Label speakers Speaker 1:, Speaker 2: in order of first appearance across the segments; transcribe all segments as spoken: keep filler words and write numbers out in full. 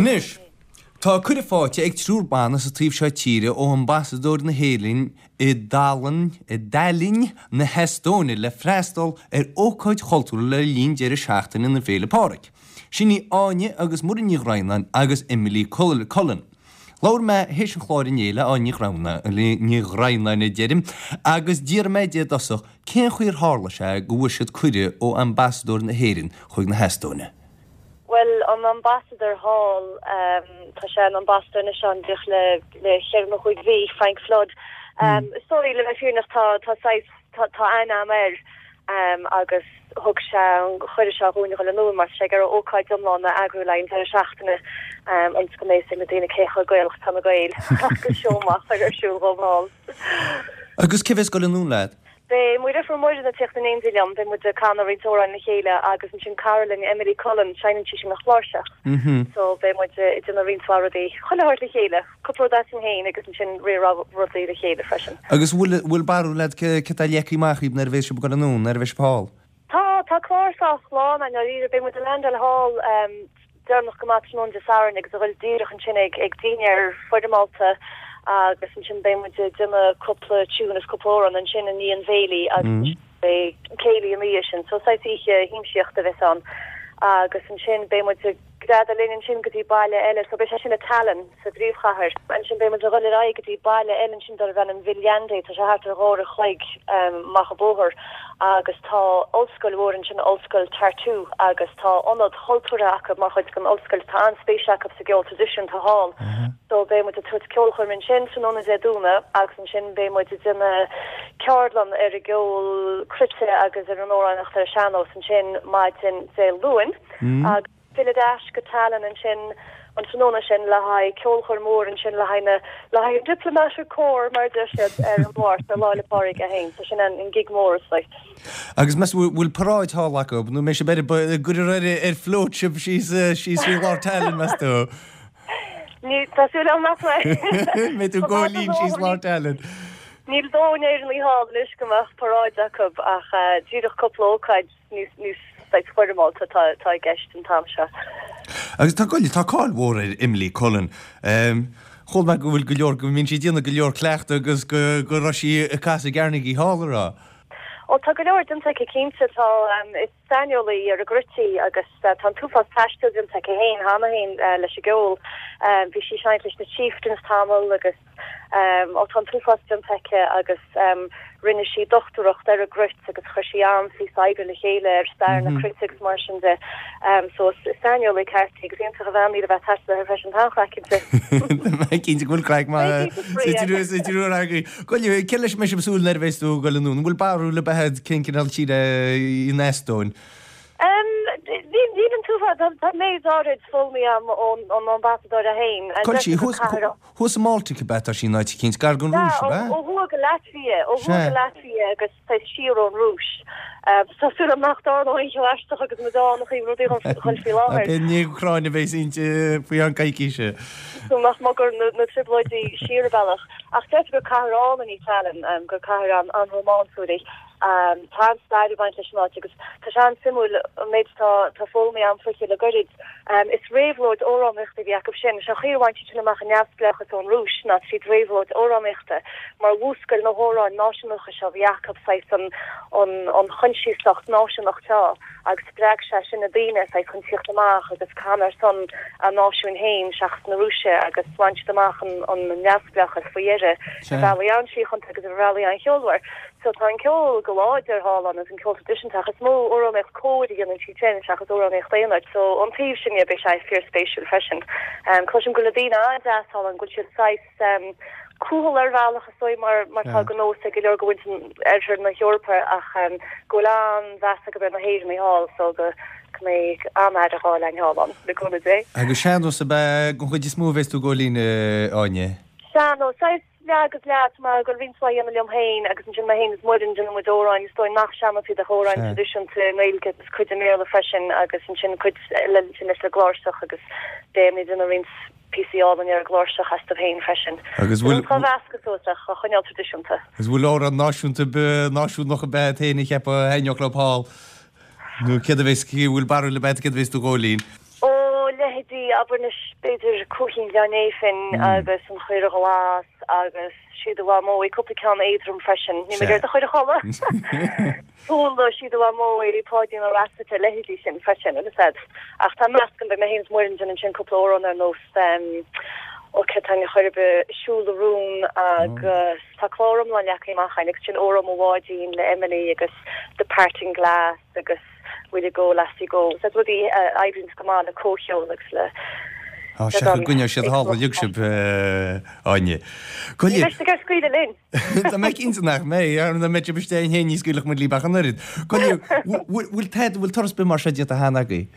Speaker 1: Anois, tá cuireadh faighte ag triúr ban as an taobh seo tíre ó ambasadóir na hÉireann i dTaillinn i dTaillinn na hEastóine le freastal ar ócáid chultúrtha le linn deireadh seachtaine na Féile Pádraig. Sin í Áine agus Muireann Ní Dhroighneáin agus Emily Cullen. Labhair mé théis an chláir inné le Áine Ní Dhroighneáin a deirim, agus d'iarr mé di i dtosach cén chaoi ar tharla sé go bhfuair siad cuireadh ó ambasadóir na hÉireann chuig na hEastóine.
Speaker 2: Well an ambasadóir thall tá sé ina ambasadóir anois ann díreach le le cheithre nó cúig mhí, Frank Flood. Um, is dóigh le bheith fírinneach tá tá saghas tá tá aithne agam air um, agus thug sé an cuireadh seo dhúinn a dhul anonn mar tá sé ag iarraidh ócáid iomlán a eagrú le haghaidh an deireadh seachtaine um, ionas go mbeidh a fhios ag na daoine cé chomh Gaelach atá na Gaeil agus seó maith a chur ar siúl dhóibh thall.
Speaker 1: Agus cé bheas ag dul anonn leat?
Speaker 2: Beidh mo dheirfiúr Muireann ag tíocht in éindí liom, beidh muid ag canadh roinnt amhráin le chéile agus ansin cara linn Emily Cullen, seinneann sí sin an chláirseach. So beidh muid ag déanamh roinnt mhaith rudaí chuile shórt le chéile, cúpla rud asainn féin agus ansin roinnt rudaí le chéile freisin.
Speaker 1: Agus bhfuil bhfuil barúil agat cé cé tá leagtha amach daoibh nuair a bheas sibh ag dul anonn, nuair a bheas sibh thall?
Speaker 2: Tá tá clár sách lán i ndáiríre, beidh muid i Landel Hall um, deireanach go maith tráthnóna Dé Sathairn agus a dhul díreach ansin ag ag dinnéar foirmeálta agus ansin beidh muid ag déanamh cúpla tune is cúpla amhrán ansin i ndiaidh an bhéilí agus beidh céilí ina dhiaidh sin, so saghas oíche shiamsaíochta a bheas ann. Agus ansin beidh muid ag greadadh linn ansin go dtí baile eile, so beidh sé sin i Tallinn sa bpríomhchathair. Ansin beidh muid ag dhul ar aghaidh go dtí baile eile ansin darb ainm Viljandi, tá sé thart ar dhá uair a chloig um, amach an bóthar agus tá ollscoil mhór ansin ollscoil Tartu agus tá ionad cultúrtha acu mar chuid den ollscoil tá an-spéis acu sa gceol traidisiúnta thall. So beidh muid ag tabhairt ceolchoirm ansin tráthnóna Dé Domhnaigh agus ansin beidh muid ag déanamh ceardlann ar an gceol cruite agus ar an amhránaíocht ar an sean-nós ansin maidin Dé Luain agus filleadh ar ais go Tallinn ansin an tráthnóna sin le haghaidh ceolchoirm mhór ansin le haghaidh na le haghaidh diplomatic corps mar deir siad ar an Mháirt ar Lá Fhéile Pádraig é féin, so sin an an gig mór is like.
Speaker 1: Agus meas bhfuil paráid thall acu nó mé sé gur ar ar float sibh síos síos faoi lár Tallinn meas tú?
Speaker 2: Ní tá súil agam nach
Speaker 1: Mé tú góilín síos lár Tallinn.
Speaker 2: Níl dóthain Éireannaigh thall anois go mbeadh paráid acu ach uh, díreach cúpla ócáid níos níos saghas foirmeálta tá tá i gceist an t-am seo.
Speaker 1: Agus tá goil tá cáil mhór ar Emily Cullen. Um, Chuala mé go bhfuil go leor go mbíonn sí ag déanamh go leor cleachtadh agus go go raibh sí ag casadh i gCarnegie Hall a rá.
Speaker 2: Ó tá go leor déanta aici cinnte tá um, is saineolaí ar an gcruit í agus uh, tá an t-uafás taistil déanta aici féin cheana féin uh, leis an gceol. Um, bhí sí seinnte leis na Chieftains tamall agus um, ó tá an t-uafás déanta aici agus um, rinne sí dochtúireacht ar an gcruit agus chuir sí an-phíosa oibre le chéile ar stair na cruite agus mar sin de. Um, so is saineolaí ceart í agus iontach a bhean í a bheith taistil freisin tá craic inti.
Speaker 1: Cinnte go bhfuil craic mar agaí. Goil ce leis me súil nuair a bheas tú ag dul anonn, bhfuil barúil ar bith agat cén cineál tír í an Eastóin.
Speaker 2: Um, Níl an túá tá méid áirid foghlamtha agam ón ón ambasadóir féin.
Speaker 1: Cuil sí thuas sa mBaltic ab ea tá sí in áit eicínt gar don Rúis
Speaker 2: ó
Speaker 1: ab ea?
Speaker 2: thuaidh go Latvia, ó thuaidh go Latvia agus tá siar ón Rúis. Tá súil agam nach dtarlóidh aon cheo aisteach agus muid ann a chuir rudaí chun faoi láthair.
Speaker 1: B'é ní Úcráin a bheas inti faoi an coicíse.
Speaker 2: So nach mbeadh na, na trioblóidí siar an bealach. Ach deirtear gur cathair álainn í Tallinn, um, gur cathair an an-rómánsúil í. Um, tá an-stair ag baint leis an áit agus tá sé an-suimiúil an méid tá tá foghlamtha agam fúithi le gairid. Um, is réabhlóid amhránaíochta a bhí acu sin, sé chaoi a bhain siad sin amach an neamhspleáchas ón Rúis ná tríd réabhlóid amhránaíochta mar mhúscail na hamhráin náisiúnacha seo bhí acu saghas an an an choinsiasacht náisiúnach seo agus spreag sé sin na daoine saghas chun tíocht amach agus canadh ar son a náisiúin féin seachas na Rúise agus bhain siad amach an an neamhspleáchas faoi dheireadh
Speaker 1: Sea.
Speaker 2: ar bhealaí an-síochánta agus ar bhealaí an-cheolmhar. So tá an ceol go láidir thall ann agus an ceol traidisiúnta ach is mó amhránaíocht cóir a dhéanann siad sin seachas amhránaíocht aonair. So an taobh sin beidh sé fíorspéisiúil freisin. Um, Cloisim go bhfuil na daoine an-deas thall ann go bhfuil siad saghas um, cúthail ar bhealach is dóigh mar mar tá
Speaker 1: Sea.
Speaker 2: go nós ag go leor go bhfuil oirthear na hEorpa ach um, go bhfuil an-mheas acu ar na hÉireannaigh thall so go go mbeidh an-aire a fháil thall ann le cúnamh Dé.
Speaker 1: Agus sean-nós ab ea den chuid is mó a bheas tú ag góilín Áine.
Speaker 2: Sean-nós saghas leath agus leath mar go roinnt mhaith dhéanamh liom féin agus ansin mé féin is Muireann déanann muid amhráin is dóigh nach sean-nós iad ach amhráin
Speaker 1: Sea.
Speaker 2: traidisiúnta i nGaeilge agus cuid i mBéarla freisin agus ansin cuid eile ansin leis an gcláirseach agus beidh muid ag déanamh roinnt píosaí álainn ar an gcláirseach astu féin freisin.
Speaker 1: Agus bhfuil
Speaker 2: Tá mheascadh suas ach a choinneáil traidisiúnta.
Speaker 1: Agus bhfuil amhrán náisiúnta náisiúnach ar bith agat féin a cheapadh a thaitneodh leo thall. Nó céard a bheas bhfuil barúil ar bith agat céard a bheas tú ag góilín.
Speaker 2: Ó leithéidí leithéidí abair anois b'fhéidir Cuaichín Ghleann Néifinn agus An Chaora Ghlas agus Sí do Mhamó, cúpla ceann éadrom freisin. Ní mé do chuir a chodladh. Tóla, Sí do Mhamó, Páidín Ó Raifeartaigh, a leithéidí sin freisin, agus iad. Ach tá meascán, beidh mé féin is Muireann ag déanamh ansin cúpla amhrán ar nós Ó cén teanga chor ar bith, Siúl a Rún agus tá clár iomlán leagtha amach againn agus sin Óró Mo Bháidín le Emily agus The Parting Glass agus Will You Go Lassie Go. So rudaí a oibríonns go maith le comhcheol agus le
Speaker 1: Tá sé go gcoinneoidh siad thall uilig sibh, Áine.
Speaker 2: Ní bheidh siad ag scaoileadh linn.
Speaker 1: Tá mé cinnte nach mbeidh, ar na mbeidh sibh istigh féin ní scaoilfeadh muid libh ach an oiread. Gabh i leith, bhfuil tada, bhfuil turas ar bith mar seo déanta cheana agaibh?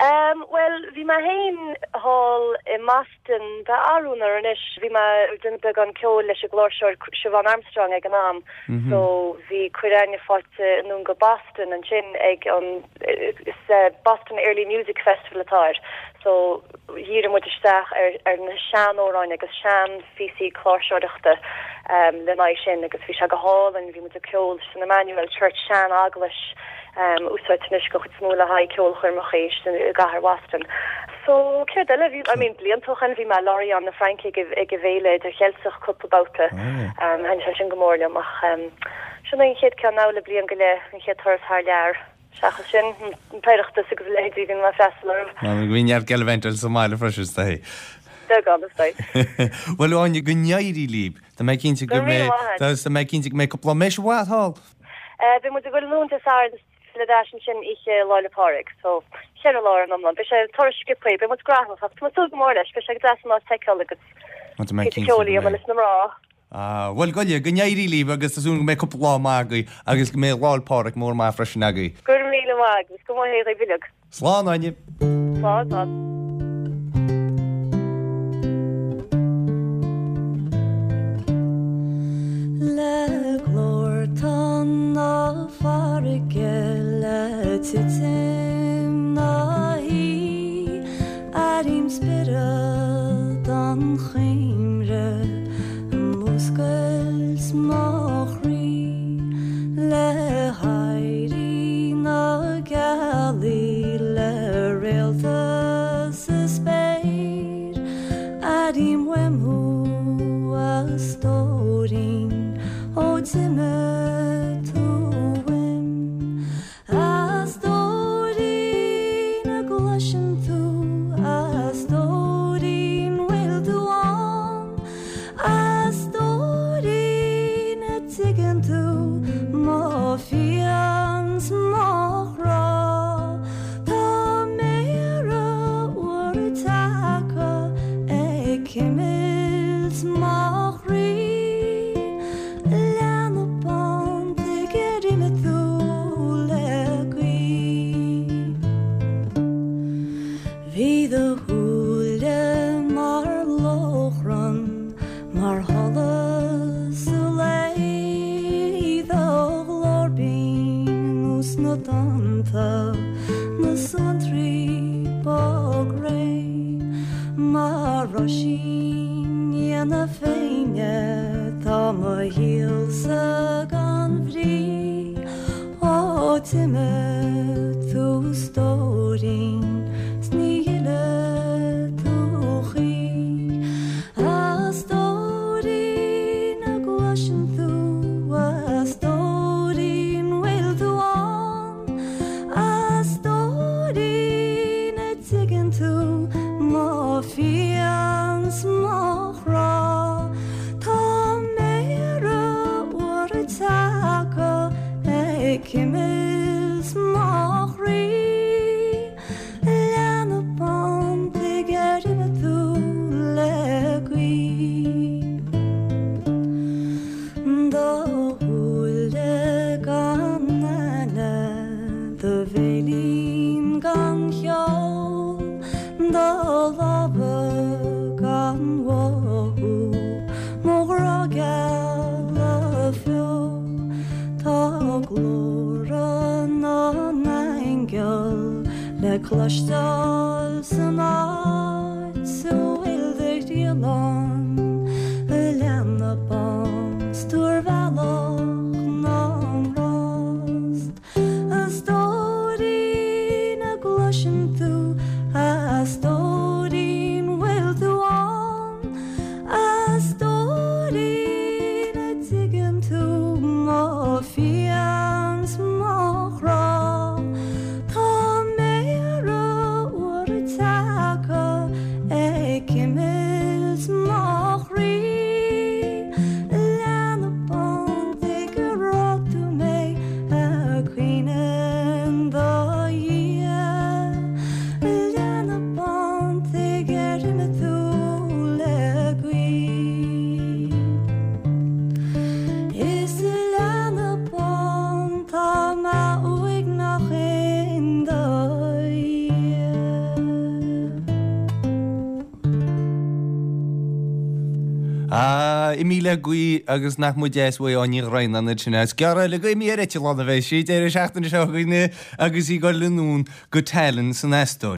Speaker 2: Bhuel, bhí mé féin thall i mBoston, ba arú anois, bhí mé ag déanamh beagán ceoil leis an gcláirseoir Siobhán Armstrong ag an am, so bhí cuireadh againne faighte anonn go Boston ansin ag an, is Boston Early Music Festival atá air, so dhírigh muid isteach ar ar na seanamhráin agus seanphíosaí cláirseoireachta lena aghaidh sin agus bhí sé go hálainn, bhí muid ag ceol san Emmanuel Church, sean-eaglais. úsáidte anois den chuid is mó le haghaidh ceolchoirmeacha i gcathair Bhoston. So, céard eile? Bhí, I mean, blianta ó shin bhí mé i Lorient na Fraince ag ag an bhFéile Idircheilteach cúpla babhta. Thaitin sé sin go mór liom ach sin é an chéad ceann now le bliain go leith, an chéad turas thar lear. Seachas sin, an tOireachtas agus a leithéidí bhí mé ag freastal orthu.
Speaker 1: Bhí neart gallivant sa mbaile freisin, is dóigh.
Speaker 2: Beagán, is dóigh.
Speaker 1: Bhuel, Áine, go n-éirí libh. Tá mé cinnte go mbeidh, tá mé cinnte go mbeidh cúpla lá, mbeidh sibh i bhfad thall.
Speaker 2: Beidh muid ag dul anonn Dé Sathairn is filleadh ar ais ansin oíche Lá 'le Pádraig, so ceithre lá ar an iomlán. Beidh sé turas sciobtha, beidh muid gnóthach ach tá mé ag súil go mór leis, beidh sé go deas an áit a fheiceáil agus píosa ceoil a dhéanamh leis na mná.
Speaker 1: Ah, bhuel, gabh i leith, go n-éirí libh agus tá súil go mbeidh cúpla lá maith agaibh agus go mbeidh Lá 'le Pádraig mór maith freisin agaibh.
Speaker 2: Go raibh míle maith agat agus go maith é dhaoibh uilig.
Speaker 1: Slán, Áine.
Speaker 2: Slán, slán.
Speaker 3: Le glór tonn na farraige le titim na hoíche airím spiorad an chuimhne ag múscailt mo chroí le héirí na gealaí le réalta sa spéir airím uaim thú a stóirín ó d'imigh tú uaim a stóirín a gcloiseann tú a stóirín bhfuil tú ann a stóirín a dtuigeann tú mo phian 's mo chrá tá méara úra tagtha ag cimilt mo chroí leanbh bán tuige ar imigh tú le gaoth. Bhí do shúile mar lóchrann mar sholas an lae do ghlór binn nós na dtonnta na suantraí bog réidh mar roisín liath na Féinne tá mo shaolsa gan bhrí ó d'imigh tú a stóirín 's ní fhillfidh tú choíche a stóirín a gcloiseann tú a stóirín bhfuil tú ann a stóirín a dtuigeann tú mo phian 's mo chrá tá méara úra tagtha ag cimilt mo chroí leanbh bán tuige ar imigh tú le gaoth. Do shúile gan aithne do bhéilín gan cheol do lámha gan mhothú mo ghrá geal a bheo tá glórtha na n-aingeal le cloisteáil san áit a bhfuil do thriall ann a leanbh bán 's tú ar bhealach na ngrást a stóirín a gcloiseann tú a stóirín
Speaker 1: imithe le gaoth agus nach mba deas uaidh Áine Ní Dhroighneáin iad sin. Is gearr eile go imithe ar eitleán a bheidh sí, deireadh seachtaine seo chugainn agus í ag dul anonn go Tallinn san Eastóin.